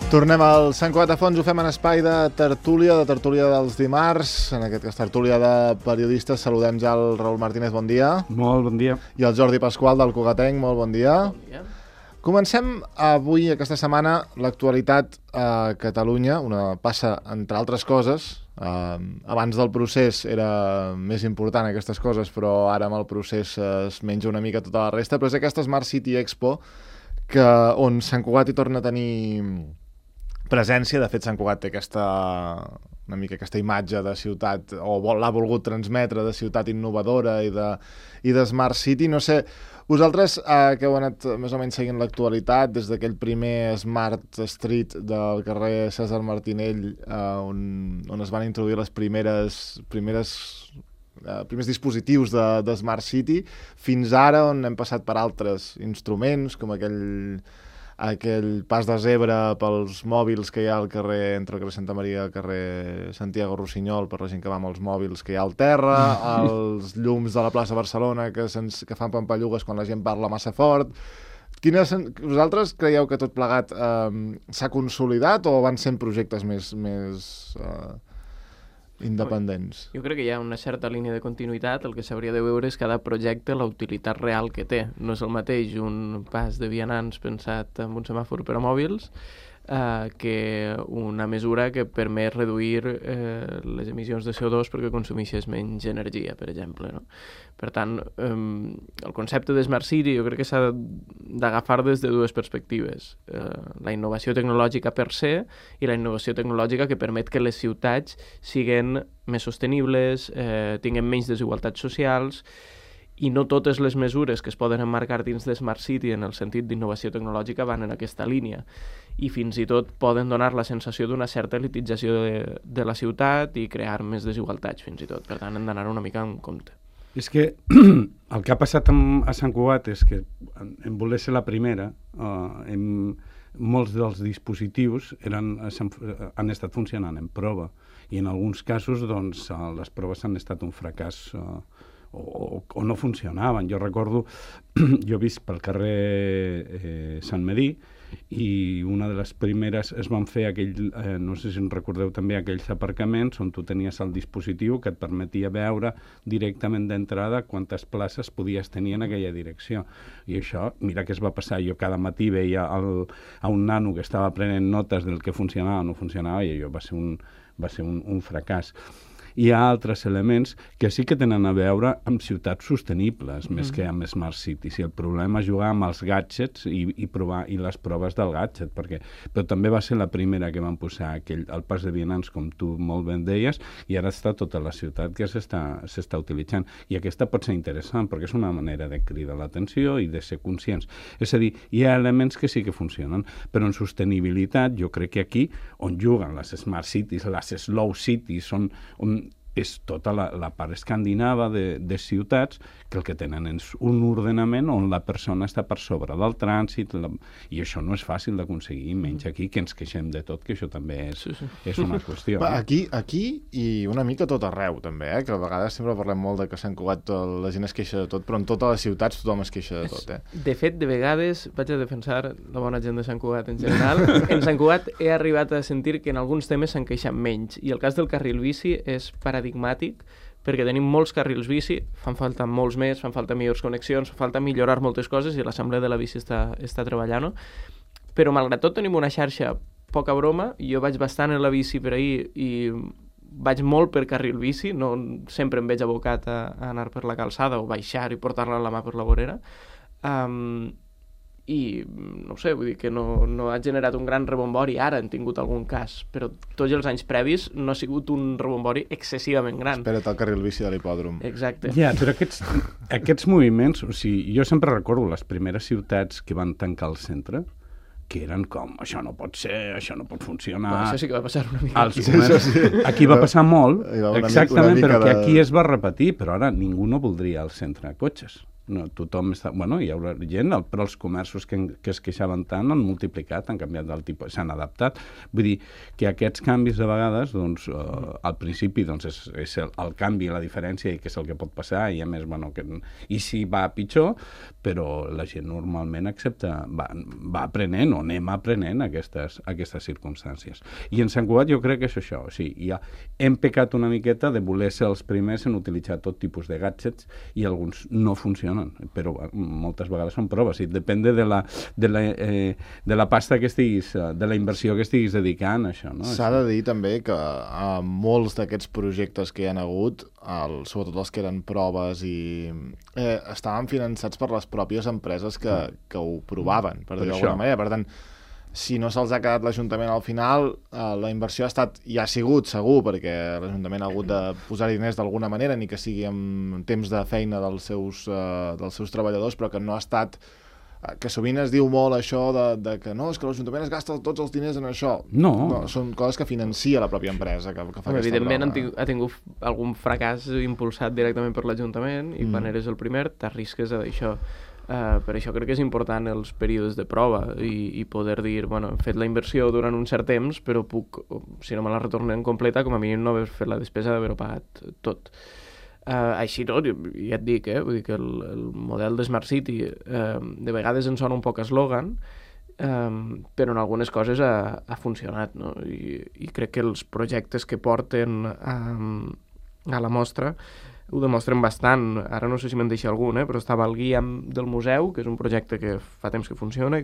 Tornem al Sant Cugat de Fonts, ho fem en espai de tertúlia dels dimarts, en aquest cas tertúlia de periodistes. Saludem ja el Raül Martínez, bon dia. Molt bon dia. I el Jordi Pasqual del Cugatenc, molt bon dia. Bon dia. Comencem avui, aquesta setmana, l'actualitat a Catalunya, una passa entre altres coses. Abans del procés era més important aquestes coses, però ara amb el procés es menja una mica tota la resta, però és aquesta Smart City Expo on Sant Cugat hi torna a tenir presència. De fet, Sant Cugat té una mica aquesta imatge de ciutat, o l'ha volgut transmetre, de ciutat innovadora i de Smart City. No sé, vosaltres que heu anat més o menys seguint l'actualitat des d'aquell primer Smart Street del carrer Cèsar Martinell, on es van introduir els primers dispositius de Smart City, fins ara on hem passat per altres instruments, com aquell pas de zebra pels mòbils que hi ha al carrer, entre el carrer Santa Maria i el carrer Santiago Rossinyol, per la gent que va amb els mòbils que hi ha al terra, els llums de la plaça Barcelona que fan pampallugues quan la gent parla massa fort. Vosaltres creieu que tot plegat s'ha consolidat o van sent projectes més independents? Jo crec que hi ha una certa línia de continuïtat. El que s'hauria de veure és cada projecte la utilitat real que té. No és el mateix un pas de vianants pensat amb un semàfor per a mòbils que una mesura que permet reduir les emissions de CO2 perquè consumeixes menys energia, per exemple, no? Per tant, el concepte de Smart City jo crec que s'ha d'agafar des de dues perspectives. La innovació tecnològica per se i la innovació tecnològica que permet que les ciutats siguin més sostenibles, tinguin menys desigualtats socials, i no totes les mesures que es poden emmarcar dins de Smart City en el sentit d'innovació tecnològica van en aquesta línia, i fins i tot poden donar la sensació d'una certa elitització de la ciutat i crear més desigualtats, fins i tot. Per tant, hem d'anar una mica en compte. És que el que ha passat a Sant Cugat és que, en voler ser la primera, molts dels dispositius han estat funcionant en prova, i en alguns casos doncs, les proves han estat un fracàs o no funcionaven. Jo recordo, jo he vist pel carrer Sant Medí, i una de les primeres es van fer no sé si en recordeu també, aquells aparcaments on tu tenies el dispositiu que et permetia veure directament d'entrada quantes places podies tenir en aquella direcció. I això, mira què es va passar. Jo cada matí veia a un nano que estava prenent notes del que funcionava o no funcionava, i allò va ser un fracàs. Hi ha altres elements que sí que tenen a veure amb ciutats sostenibles, més que amb Smart Cities. I el problema és jugar amb els gadgets i les proves del gadget, però també va ser la primera que van posar el pas de vianants, com tu molt ben deies, i ara està tota la ciutat que s'està utilitzant. I aquesta pot ser interessant, perquè és una manera de cridar l'atenció i de ser conscients. És a dir, hi ha elements que sí que funcionen, però en sostenibilitat jo crec que aquí, on juguen les Smart Cities, les Slow Cities, és tota la part escandinava de ciutats que el que tenen és un ordenament on la persona està per sobre del trànsit, i això no és fàcil d'aconseguir, menys aquí, que ens queixem de tot, que això també és una qüestió. Aquí i una mica tot arreu, també, que a vegades sempre parlem molt de que Sant Cugat la gent es queixa de tot, però en totes les ciutats tothom es queixa de tot. De fet, de vegades vaig a defensar la bona gent de Sant Cugat en general. En Sant Cugat he arribat a sentir que en alguns temes s'han queixat menys, i el cas del carril bici és paradigmàtic, perquè tenim molts carrils bici, fan falta molts més, fan falta millors connexions, fan falta millorar moltes coses, i l'Assemblea de la Bici està treballant-ho, però malgrat tot tenim una xarxa poca broma. Jo vaig bastant en la bici per ahir i vaig molt per carril bici, no sempre em veig abocat a anar per la calçada o baixar i portar-la a la mà per la vorera, i no sé, vull dir que no ha generat un gran rebombori. Ara han tingut algun cas, però tots els anys previs no ha sigut un rebombori excessivament gran. Espera't el carril bici de l'hipòdrom. Exacte. Ja, però aquests moviments, o sigui, jo sempre recordo les primeres ciutats que van tancar el centre, que eren com, això no pot ser, això no pot funcionar. Això sí que va passar una mica. Aquí va passar molt, exactament, exactament, però que aquí es va repetir, però ara ningú no voldria el centre de cotxes. No, tothom està... Bueno, hi haurà gent, però els comerços que es queixaven tant han multiplicat, han canviat del tipus, s'han adaptat. Vull dir que aquests canvis de vegades, doncs, al principi doncs, és el canvi, la diferència i què és el que pot passar, i a més, bueno, i si va pitjor, però la gent normalment accepta, va aprenent o anem aprenent aquestes circumstàncies. I en Sant Cugat jo crec que és això, o sigui, ja hem pecat una miqueta de voler ser els primers en utilitzar tot tipus de gadgets i alguns no funcionen, però moltes vegades són proves i depèn de la pasta que estiguis, de la inversió que estiguis dedicant a això, no? S'ha de dir també que molts d'aquests projectes que hi ha hagut, sobretot els que eren proves, estaven finançats per les pròpies empreses que ho provaven, per dir-ho d'alguna manera. Per tant, si no se'ls ha quedat l'Ajuntament al final, la inversió ha sigut segur, perquè l'Ajuntament ha hagut de posar diners d'alguna manera, ni que sigui amb temps de feina dels seus treballadors, però que no ha estat... que sovint es diu molt això de que no, és que l'Ajuntament es gasta tots els diners en això. No. Són coses que financia la pròpia empresa que fa aquesta evidentment prova. ha tingut algun fracàs impulsat directament per l'Ajuntament i quan eres el primer t'arrisques a això. Per això crec que és important els períodes de prova i poder dir, bueno, hem fet la inversió durant un cert temps, però puc, si no me la retornen completa, com a mínim no haver fet la despesa d'haver-ho pagat tot. Així tot, ja et dic, vull dir que el model de Smart City de vegades en sona un poc eslògan, però en algunes coses ha funcionat, no? I crec que els projectes que porten a la mostra ho demostren bastant. Ara no sé si me'n deixa algun, però estava el guia del museu, que és un projecte que fa temps que funciona,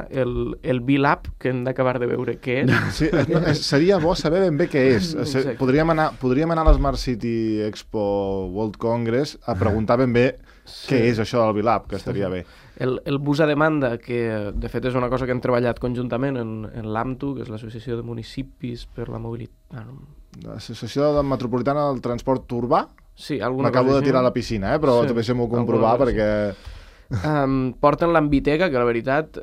el B-Lab, que hem d'acabar de veure què és. Sí, seria bo saber ben bé què és. Podríem anar a l'Smart City Expo World Congress a preguntar ben bé què és això del B-Lab, que estaria bé. El bus a demanda, que de fet és una cosa que hem treballat conjuntament en l'AMTU, que és l'Associació de Municipis per la Mobilitat... L'Associació Metropolitana del Transport Urbà? Sí, alguna cosa m'acabo de tirar a la piscina, però també deixem-ho comprovar perquè... Porten l'Ambiteca, que la veritat,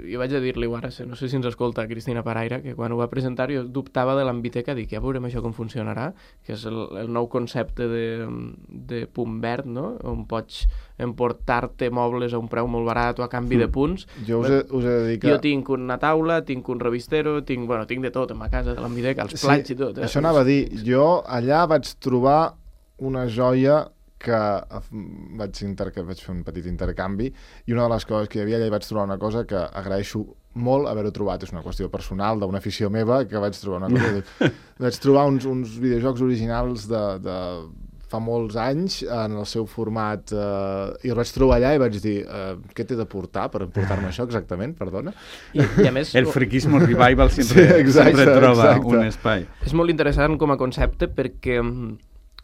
jo vaig a dir-li ara, no sé si ens escolta Cristina Paraire, que quan ho va presentar jo dubtava de l'Ambiteca, dic, ja veurem això com funcionarà, que és el nou concepte de punt verd, no? On pots emportar-te mobles a un preu molt barat o a canvi de punts. Jo us he de dir que... Jo tinc una taula, tinc un revistero, tinc de tot a ma casa, de l'Ambiteca, els plats i tot. Això anava a dir, jo allà vaig trobar una joia que vaig fer un petit intercanvi i una de les coses que hi havia allà hi vaig trobar una cosa que agraeixo molt haver-ho trobat, és una qüestió personal d'una afició meva que vaig trobar una cosa vaig trobar uns videojocs originals de fa molts anys en el seu format i el vaig trobar allà i vaig dir què t'he de portar per portar-me això exactament, perdona? I a més... El friquismo revival sempre troba un espai. És molt interessant com a concepte perquè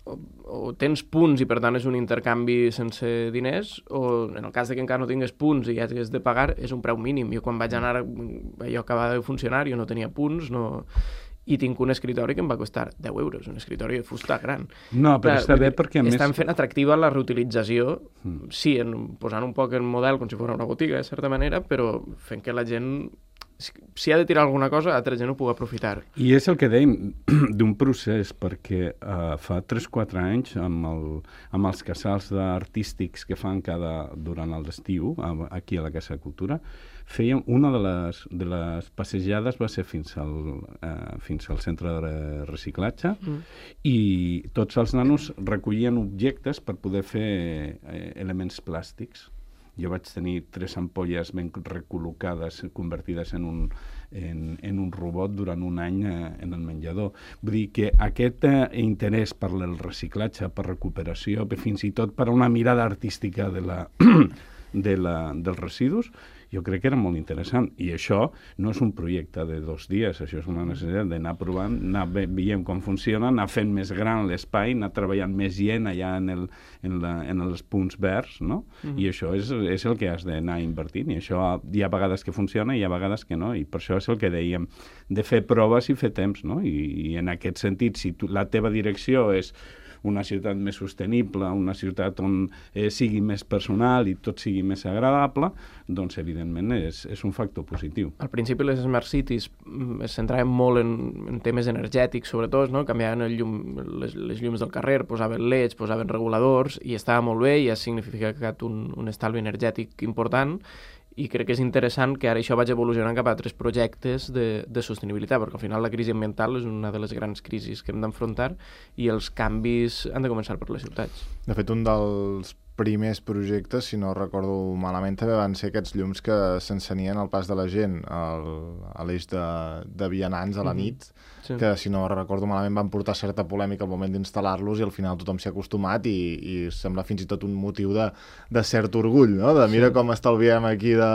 o tens punts i per tant és un intercanvi sense diners, o en el cas de que encara no tingues punts i ja has de pagar, és un preu mínim. Jo quan vaig anar, allò acabava de funcionar, jo no tenia punts, i tinc un escritori que em va costar 10 euros, un escritori de fusta gran. No, però està bé perquè a més... Estan fent atractiva la reutilització, sí, posant un poc el model com si fos una botiga, de certa manera, però fent que la gent... si ha de tirar alguna cosa, altra gent ho pugui aprofitar. I és el que dèiem d'un procés, perquè fa 3-4 anys, amb els casals artístics que fan durant l'estiu, aquí a la Casa de Cultura, fèiem una de les passejades va ser fins al centre de reciclatge i tots els nanos recollien objectes per poder fer elements plàstics. Jo vaig tenir 3 ampolles ben recol·locades, convertides en un robot durant un any en el menjador. Vull dir que aquest interès per el reciclatge, per recuperació, fins i tot per una mirada artística dels residus, jo crec que era molt interessant. I això no és un projecte de 2 dies, això és una necessitat d'anar provant, anar veient com funciona, anar fent més gran l'espai, anar treballant més gent allà en els punts verds, no? I això és el que has d'anar invertint, i això hi ha vegades que funciona i hi ha vegades que no, i per això és el que dèiem, de fer proves i fer temps, no? I en aquest sentit, si la teva direcció és una ciutat més sostenible, una ciutat on sigui més personal i tot sigui més agradable, doncs evidentment és un factor positiu. Al principi les Smart Cities es centraven molt en temes energètics, sobretot, no? Canviaven les llums del carrer, posaven leds, posaven reguladors, i estava molt bé i ha significat un estalvi energètic important, i crec que és interessant que ara això vagi evolucionant cap a altres projectes de sostenibilitat, perquè al final la crisi ambiental és una de les grans crisis que hem d'enfrontar i els canvis han de començar per les ciutats. De fet, un dels primers projectes, si no recordo malament, també van ser aquests llums que s'encenien al pas de la gent a l'eix de vianants a la nit, sí. Que si no recordo malament van portar certa polèmica al moment d'instal·lar-los i al final tothom s'hi ha acostumat i sembla fins i tot un motiu de cert orgull, no? De mira com estalviem aquí de...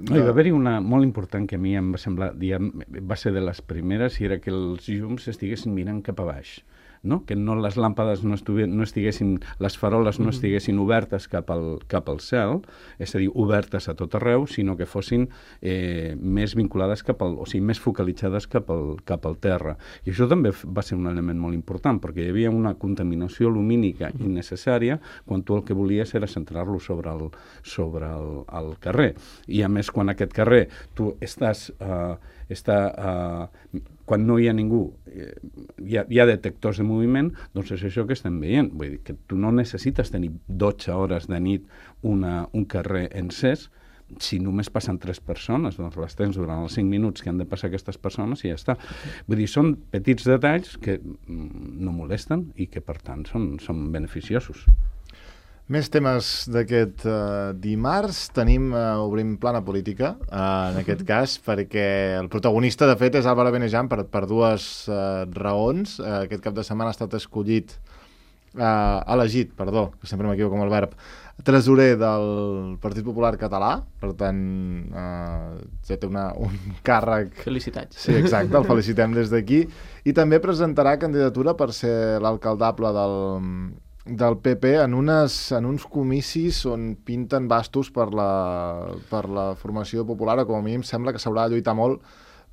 No, hi va haver-hi una molt important que a mi em va semblar, va ser de les primeres, i era que els llums estiguessin mirant cap a baix. No? Que no les làmpades no estiguessin, les faroles no estiguessin obertes cap al cel, és a dir, obertes a tot arreu, sinó que fossin més vinculades o sigui, més focalitzades cap al terra. I això també va ser un element molt important, perquè hi havia una contaminació lumínica innecessària quan tu el que volies era centrar-lo sobre el carrer. I a més, quan aquest carrer tu quan no hi ha ningú, hi ha detectors de moviment, doncs és això que estem veient. Vull dir que tu no necessites tenir 12 hores de nit un carrer encès. Si només passen 3 persones, doncs les tens durant els 5 minuts que han de passar aquestes persones i ja està. Vull dir, són petits detalls que no molesten i que, per tant, són beneficiosos. Més temes d'aquest dimarts. Obrim plana política, en aquest cas, perquè el protagonista, de fet, és Álvaro Benejam per dues raons. Aquest cap de setmana ha estat elegit, que sempre m'equivoco amb el verb, tresorer del Partit Popular Català, per tant, ja té un càrrec... Felicitats. Sí, exacte, el felicitem des d'aquí. I també presentarà candidatura per ser l'alcaldable del PP en uns comicis on pinten bastos per la formació popular, o com a mínim sembla que s'haurà de lluitar molt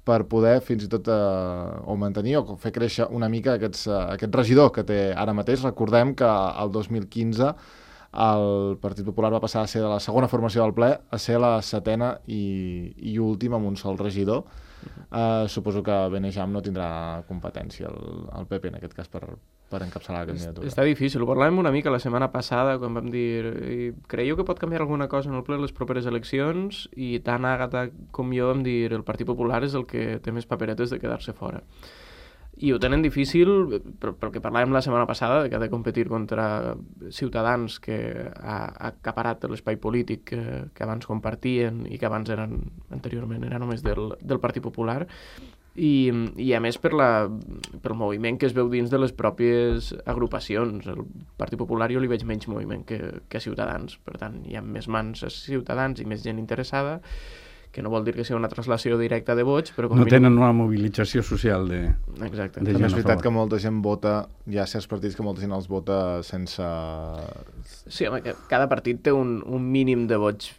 per poder fins i tot o mantenir o fer créixer una mica aquest regidor que té ara mateix. Recordem que el 2015 el Partit Popular va passar a ser de la segona formació del ple a ser la setena i última amb un sol regidor. Suposo que Benejam no tindrà competència al PP en aquest cas per encapçalar la candidatura. Està difícil, ho parlàvem una mica la setmana passada quan vam dir creieu que pot canviar alguna cosa en el ple les properes eleccions, i tant Àgata com jo vam dir el Partit Popular és el que té més paperetes de quedar-se fora. I ho tenen difícil pel que parlàvem la setmana passada, que ha de competir contra Ciutadans, que ha acaparat l'espai polític que abans compartien i que abans anteriorment era només del Partit Popular, i a més pel moviment que es veu dins de les pròpies agrupacions. El Partit Popular jo li veig menys moviment que Ciutadans, per tant hi ha més mans a Ciutadans i més gent interessada, que no vol dir que sigui una translació directa de vots, però com no tenen una mobilització social de Exacte. De gent. És veritat que molta gent vota, hi ha certs partits que molta gent els vota sense... Sí, home, que cada partit té un mínim de vots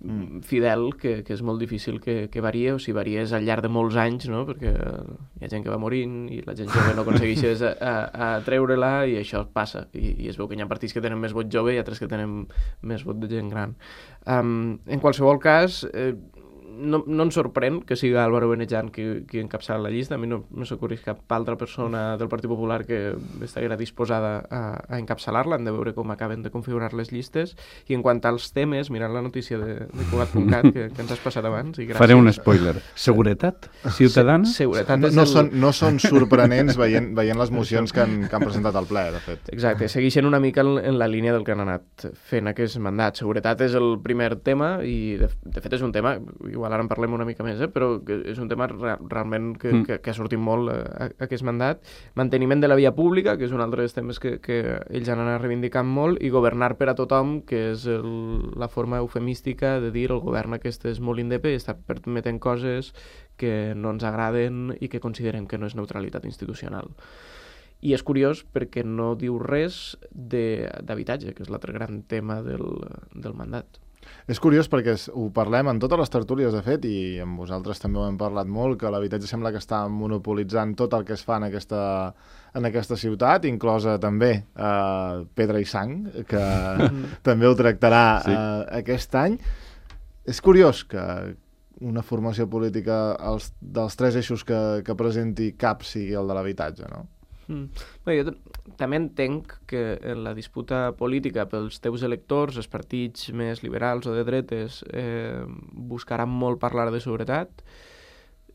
fidel que és molt difícil que varia, o si varia és al llarg de molts anys, no? Perquè hi ha gent que va morint i la gent jove no aconsegueix a treure-la, i això passa, i es veu que hi ha partits que tenen més vot jove i altres que tenen més vot de gent gran. En qualsevol cas, no ens sorprèn que sigui Álvaro Benejam qui encapçala la llista. A mi no s'ocorreix cap altra persona del Partit Popular que estaria disposada a encapçalar-la. Hem de veure com acaben de configurar les llistes. I en quant als temes, mirant la notícia de Cugat.cat que ens has passat abans, i gràcies. Faré un spoiler. Seguretat ciutadana? Seguretat no són sorprenents veient les mocions que han presentat al ple, de fet. Exacte, segueixen una mica en la línia del que han anat fent aquest mandat. Seguretat és el primer tema, i de fet és un tema, igual ara en parlem una mica més, però és un tema realment que ha sortit molt aquest mandat. Manteniment de la via pública, que és un altre dels temes que ells han anat reivindicant molt, i governar per a tothom, que és la forma eufemística de dir el govern aquest és molt independent, està permetent coses que no ens agraden i que considerem que no és neutralitat institucional. I és curiós perquè no diu res d'habitatge, que és l'altre gran tema del mandat. És curiós perquè ho parlem en totes les tertúlies, de fet, i amb vosaltres també ho hem parlat molt, que l'habitatge sembla que està monopolitzant tot el que es fa en aquesta ciutat, inclosa també Pedra i Sang, que també ho tractarà aquest any. És curiós que una formació política dels 3 eixos que presenti cap sigui el de l'habitatge, no? Bé, jo també entenc que en la disputa política pels teus electors, els partits més liberals o de dretes buscaran molt parlar de seguretat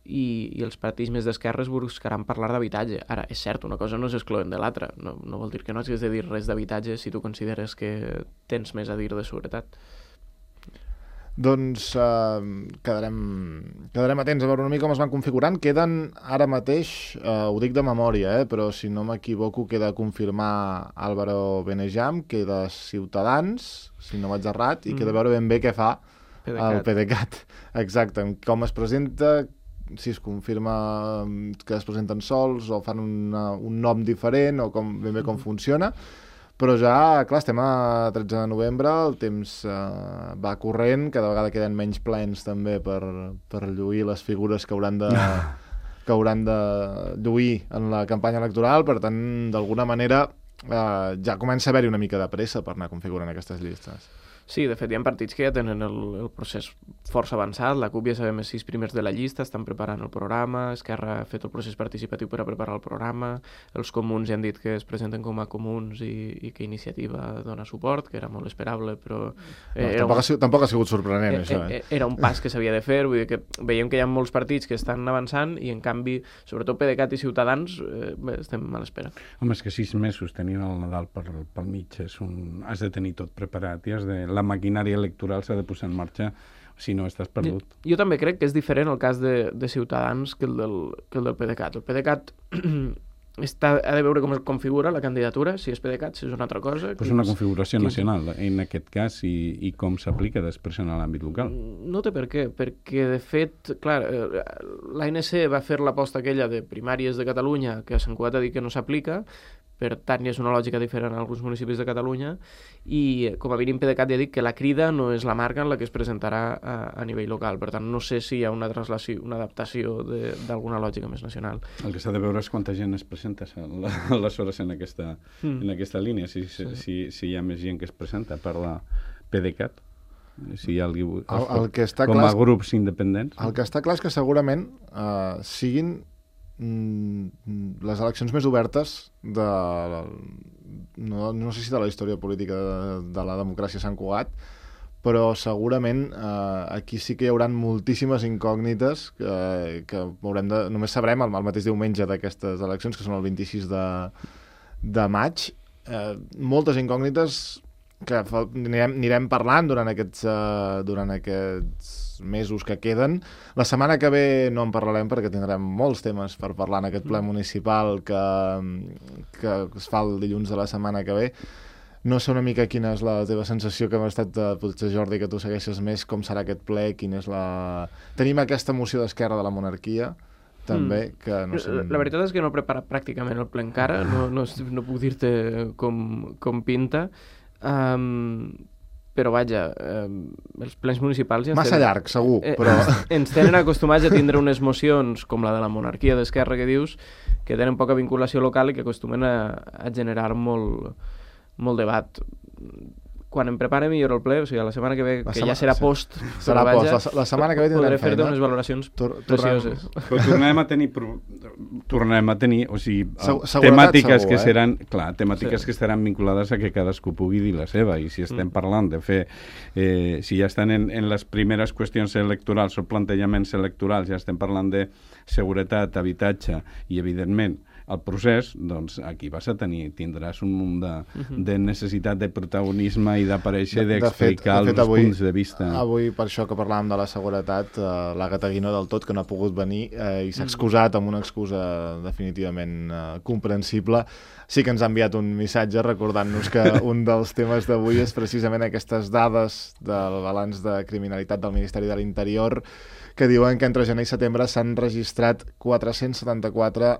i els partits més d'esquerres buscaran parlar d'habitatge. Ara, és cert, una cosa no s'excloent de l'altra. No vol dir que no hagis de dir res d'habitatge si tu consideres que tens més a dir de seguretat. Doncs quedarem atents a veure una mica com es van configurant. Queden ara mateix, ho dic de memòria, però si no m'equivoco queda confirmar Álvaro Benejam, queda Ciutadans, si no vaig errat, i queda veure ben bé què fa el PDeCAT. Exacte, com es presenta, si es confirma que es presenten sols o fan un nom diferent o ben bé com funciona. Però ja, clar, estem a 13 de novembre, el temps va corrent, cada vegada queden menys plens també per lluir les figures que hauran de lluir en la campanya electoral, per tant, d'alguna manera ja comença a haver-hi una mica de pressa per anar configurant aquestes llistes. Sí, de fet, hi ha partits que ja tenen el procés força avançat. La CUP ja sabem els 6 primers de la llista, estan preparant el programa, Esquerra ha fet el procés participatiu per a preparar el programa, els comuns ja han dit que es presenten com a comuns i que Iniciativa dona suport, que era molt esperable, però... Tampoc ha sigut sorprenent, això. Era un pas que s'havia de fer, vull dir que veiem que hi ha molts partits que estan avançant i, en canvi, sobretot PDeCAT i Ciutadans, estem a l'espera. Home, és que 6 mesos tenint el Nadal pel mig, has de tenir tot preparat i la maquinària electoral s'ha de posar en marxa, si no estàs perdut. Jo també crec que és diferent el cas de Ciutadans que el del PDeCAT. El PDeCAT ha de veure com es configura la candidatura, si és PDeCAT, si és una altra cosa. És una configuració nacional, en aquest cas, i com s'aplica després en l'àmbit local. No té per què, perquè, de fet, clar, l'ANC va fer l'aposta aquella de primàries de Catalunya, que s'han cuat a dir que no s'aplica, per tant, és una lògica diferent en alguns municipis de Catalunya, i com a mínim PDeCAT ja dic que la crida no és la marca en la que es presentarà a nivell local. Per tant, no sé si hi ha una translació, una adaptació d'alguna lògica més nacional. El que s'ha de veure és quanta gent es presenta aleshores en aquesta línia, si hi ha més gent que es presenta per la PDeCAT, si hi ha com a grups independents. El que està clar és que segurament siguin les eleccions més obertes no sé si de la història política de la democràcia a Sant Cugat, però segurament aquí sí que hi haurà moltíssimes incògnites que només sabrem el mateix diumenge d'aquestes eleccions, que són el 26 de maig. Moltes incògnites que anirem parlant durant aquests mesos que queden. La setmana que ve no en parlarem perquè tindrem molts temes per parlar en aquest ple municipal que es fa el dilluns de la setmana que ve. No sé una mica quina és la teva sensació, que m'ha estat, potser Jordi, que tu segueixes més com serà aquest ple, Tenim aquesta moció d'Esquerra de la monarquia, també, que no sé... La veritat és que no he preparat pràcticament el ple encara, no puc dir-te com pinta, però vaja, els plens municipals ja massa llarg, segur, però... Ens tenen acostumats a tindre unes mocions com la de la monarquia d'Esquerra, que dius, que tenen poca vinculació local i que acostumen a generar molt debat. Quan em prepare millor el ple, o sigui, la setmana que ve, que ja serà post, serà post. La setmana que ve tindrem feina. Podré fer-te unes valoracions precioses. Però tornarem a tenir, o sigui, temàtiques que seran, clar, temàtiques que estaran vinculades a que cadascú pugui dir la seva, i si estem parlant de fer, si ja estan en les primeres qüestions electorals o plantejaments electorals, ja estem parlant de seguretat, habitatge i, evidentment, el procés, doncs aquí tindràs un munt de necessitat de protagonisme i d'aparèixer, d'explicar els punts de vista. Avui, per això que parlàvem de la seguretat, l'Àgata Guinó del tot, que no ha pogut venir i s'ha excusat amb una excusa definitivament comprensible. Sí que ens ha enviat un missatge recordant-nos que un dels temes d'avui és precisament aquestes dades del balanç de criminalitat del Ministeri de l'Interior, que diuen que entre gener i setembre s'han registrat 474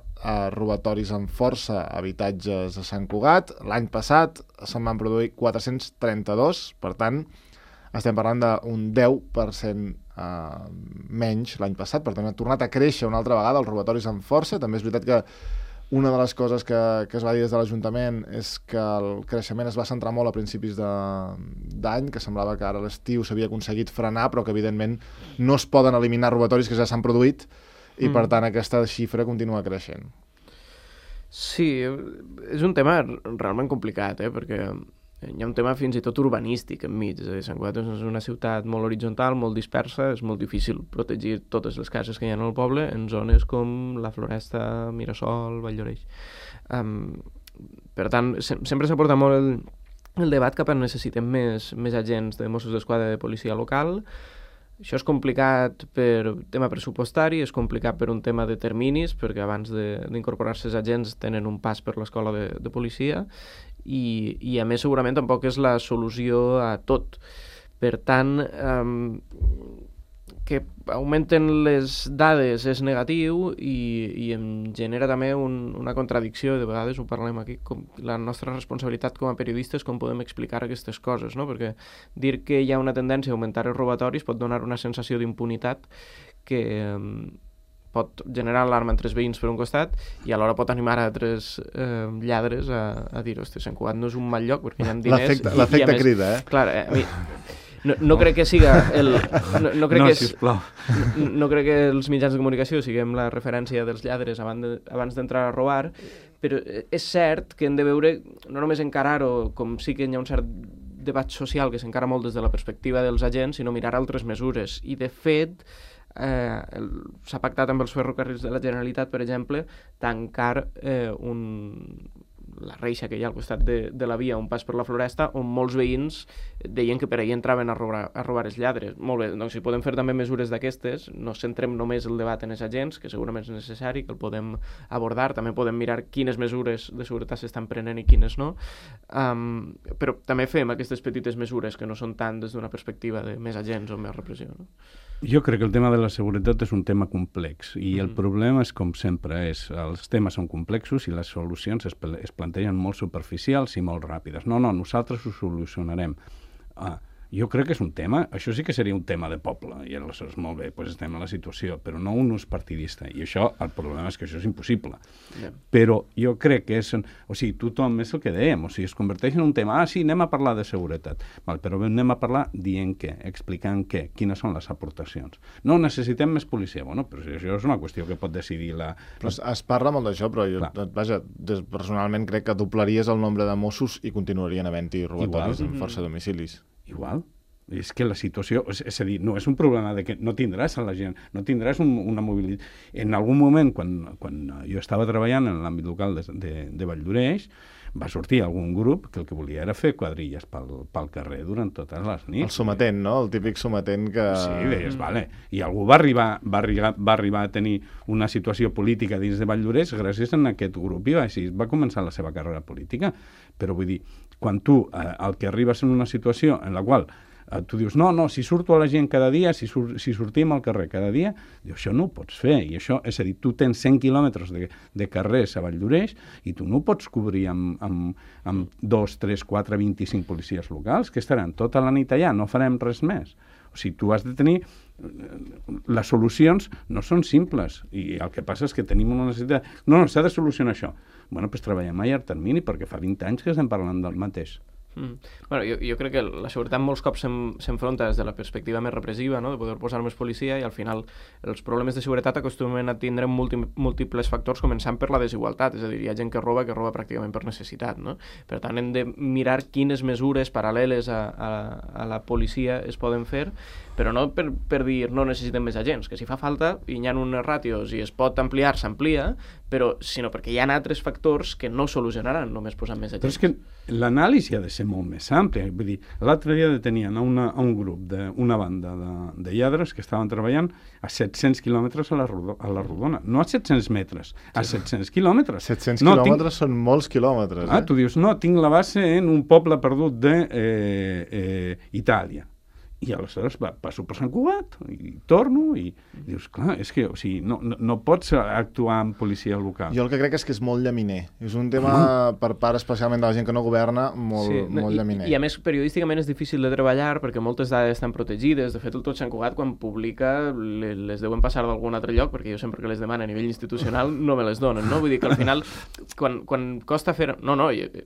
robatoris amb força a habitatges a Sant Cugat. L'any passat se'n van produir 432, per tant, estem parlant d'un 10% menys l'any passat, per tant ha tornat a créixer una altra vegada els robatoris amb força. També és veritat que una de les coses que es va dir des de l'Ajuntament és que el creixement es va centrar molt a principis d'any, que semblava que ara a l'estiu s'havia aconseguit frenar, però que evidentment no es poden eliminar robatoris que ja s'han produït i per tant aquesta xifra continua creixent. Sí, és un tema realment complicat, perquè hi ha un tema fins i tot urbanístic enmig. És a dir, Sant Cugat és una ciutat molt horitzontal, molt dispersa, és molt difícil protegir totes les cases que hi ha en el poble en zones com la Floresta, Mirasol, Valldoreix. Per tant, sempre s'ha portat molt el debat cap a necessitem més agents de Mossos d'Esquadra de policia local. Això és complicat per tema pressupostari, és complicat per un tema de terminis, perquè abans d'incorporar-se els agents tenen un pas per l'escola de policia, i a més segurament tampoc és la solució a tot. Per tant, que augmenten les dades és negatiu i em genera també una contradicció, de vegades ho parlem aquí, com la nostra responsabilitat com a periodistes, com podem explicar aquestes coses, no? Perquè dir que hi ha una tendència a augmentar els robatoris pot donar una sensació d'impunitat que pot generar alarma entre els veïns per un costat i alhora pot animar a altres lladres a dir, hosti, Sant Cugat no és un mal lloc perquè hi ha diners. L'efecte crida, Clar, a mi no crec que siga no crec que els mitjans de comunicació siguem la referència dels lladres abans d'entrar a robar, però és cert que hem de veure, no només encarar-ho com sí que hi ha un cert debat social que s'encara molt des de la perspectiva dels agents, sinó mirar altres mesures. I de fet s'ha pactat amb els ferrocarrils de la Generalitat, per exemple, tancar la reixa que hi ha al costat de la via, un pas per la Floresta, on molts veïns deien que per ahir entraven a robar els lladres. Molt bé, doncs si podem fer també mesures d'aquestes, no centrem només el debat en els agents, que segurament és necessari, que el podem abordar, també podem mirar quines mesures de seguretat s'estan prenent i quines no, però també fem aquestes petites mesures que no són tant des d'una perspectiva de més agents o més repressió, no? Jo crec que el tema de la seguretat és un tema complex i el problema és, com sempre, els temes són complexos i les solucions es plantegen molt superficials i molt ràpides. No, nosaltres ho solucionarem. Jo crec que és un tema, això sí que seria un tema de poble, i aleshores molt bé, doncs estem en la situació, però no un ús partidista, i això, el problema és que això és impossible. Però jo crec que tothom és el que dèiem, es converteix en un tema, sí, anem a parlar de seguretat, però anem a parlar dient què, explicant què, quines són les aportacions. No, necessitem més policia, bueno, però això és una qüestió que pot decidir la... Es parla molt d'això, però jo, personalment crec que doblaries el nombre de Mossos i continuarien havent-hi robatoris amb força domicilis. Igual. És que la situació... És a dir, no és un problema de que no tindràs a la gent, no tindràs una mobilitat. En algun moment, quan jo estava treballant en l'àmbit local de Valldoreix, va sortir algun grup que el que volia era fer quadrilles pel carrer durant totes les nits. El sometent, no? El típic sometent que... Sí, deies, vale. I algú va arribar a tenir una situació política dins de Valldoreix gràcies a aquest grup i així va començar la seva carrera política. Però vull dir, quan tu el que arribes en una situació en la qual tu dius, no, si surto a la gent cada dia, si sortim al carrer cada dia, això no ho pots fer. I això, és a dir, tu tens 100 quilòmetres de carrers a Valldoreix i tu no ho pots cobrir amb 2, 3, 4, 25 policies locals que estaran tota la nit allà, no farem res més. O sigui, tu has de tenir... Les solucions no són simples i el que passa és que tenim una necessitat... No, s'ha de solucionar això. Bueno, doncs treballem a llarg termini perquè fa 20 anys que estem parlant del mateix. Bueno, jo crec que la seguretat molts cops s'enfronta des de la perspectiva més repressiva, no? De poder posar més policia, i al final els problemes de seguretat acostumen a tindre múltiples factors, començant per la desigualtat, és a dir, hi ha gent que roba pràcticament per necessitat, no? Per tant, hem de mirar quines mesures paral·leles a la policia es poden fer, però no per dir no necessitem més agents, que si fa falta i hi ha unes ràtios i es pot ampliar, s'amplia, sinó perquè hi ha altres factors que no solucionaran només posant més agents. Però és que l'anàlisi ha de ser molt més àmplia. Vull dir, l'altre dia detenien a un grup d'una banda de lladres que estaven treballant a 700 quilòmetres a la rodona. No a 700 metres, a 700 quilòmetres. 700 quilòmetres són molts quilòmetres. Tu dius, no, tinc la base en un poble perdut d'Itàlia. I aleshores passo per Sant Cugat i torno i dius, clar, és que no pots actuar amb policia local. Jo el que crec és que és molt llaminer. És un tema per part especialment de la gent que no governa molt llaminer. I a més, periodísticament és difícil de treballar perquè moltes dades estan protegides. De fet, el Tot Sant Cugat, quan publica, les deuen passar d'algun altre lloc, perquè jo sempre que les demano a nivell institucional no me les donen, no? Vull dir que al final, quan costa fer... No,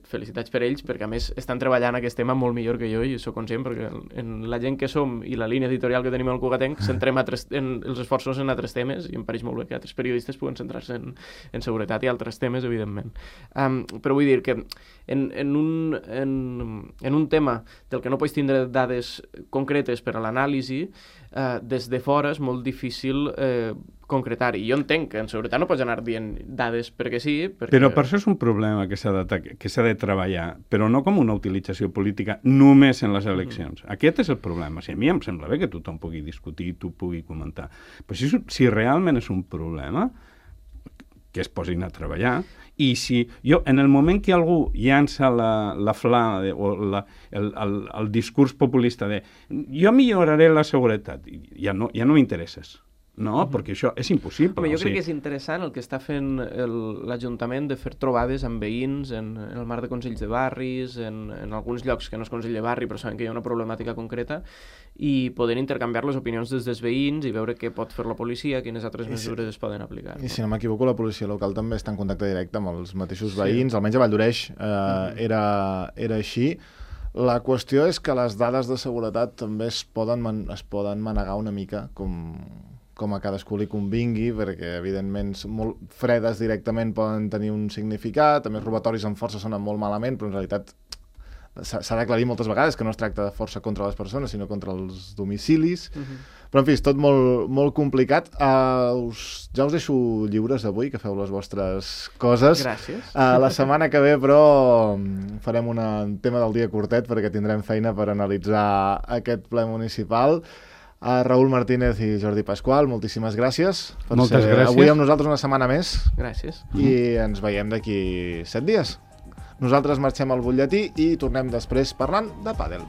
felicitats per ells, perquè a més estan treballant aquest tema molt millor que jo i sóc conscient, perquè en la gent que som i la línia editorial que tenim al Cugatenc centrem els esforços en altres temes i em pareix molt bé que altres periodistes puguen centrar-se en seguretat i altres temes, evidentment. Però vull dir que en un tema del que no pots tindre dades concretes per a l'anàlisi, des de fora és molt difícil concretar. I jo entenc que en seguretat no pots anar dient dades perquè sí... Però per això és un problema que s'ha de treballar, però no com una utilització política només en les eleccions. Aquest és el problema. A mi em sembla bé que tothom pugui discutir, tu pugui comentar. Però si realment és un problema, que es posin a treballar, i si en el moment que algú llança la fla o el discurs populista de jo milloraré la seguretat, ja no m'interesses. No, perquè això és impossible. Home, jo crec que és interessant el que està fent l'Ajuntament de fer trobades amb veïns en el marc de consells de barris, en alguns llocs que no és consell de barri però saben que hi ha una problemàtica concreta i poder intercanviar les opinions des dels veïns i veure què pot fer la policia, quines altres mesures es poden aplicar. I si no m'equivoco, la policia local també està en contacte directe amb els mateixos veïns, almenys a Valldoreix era així. La qüestió és que les dades de seguretat també es poden manegar una mica com a cadascú li convingui, perquè evidentment molt fredes directament poden tenir un significat, també els robatoris amb força sonen molt malament, però en realitat s'ha d'aclarir moltes vegades que no es tracta de força contra les persones, sinó contra els domicilis. Però, en fi, és tot molt, molt complicat. Ja us deixo lliures avui, que feu les vostres coses. Gràcies. La setmana que ve, però, farem un tema del dia curtet, perquè tindrem feina per analitzar aquest ple municipal. Raül Martínez i Jordi Pasqual, moltíssimes gràcies per ser avui amb nosaltres una setmana més. Gràcies. I ens veiem d'aquí 7 dies. Nosaltres marxem al butlletí i tornem després parlant de pàdel.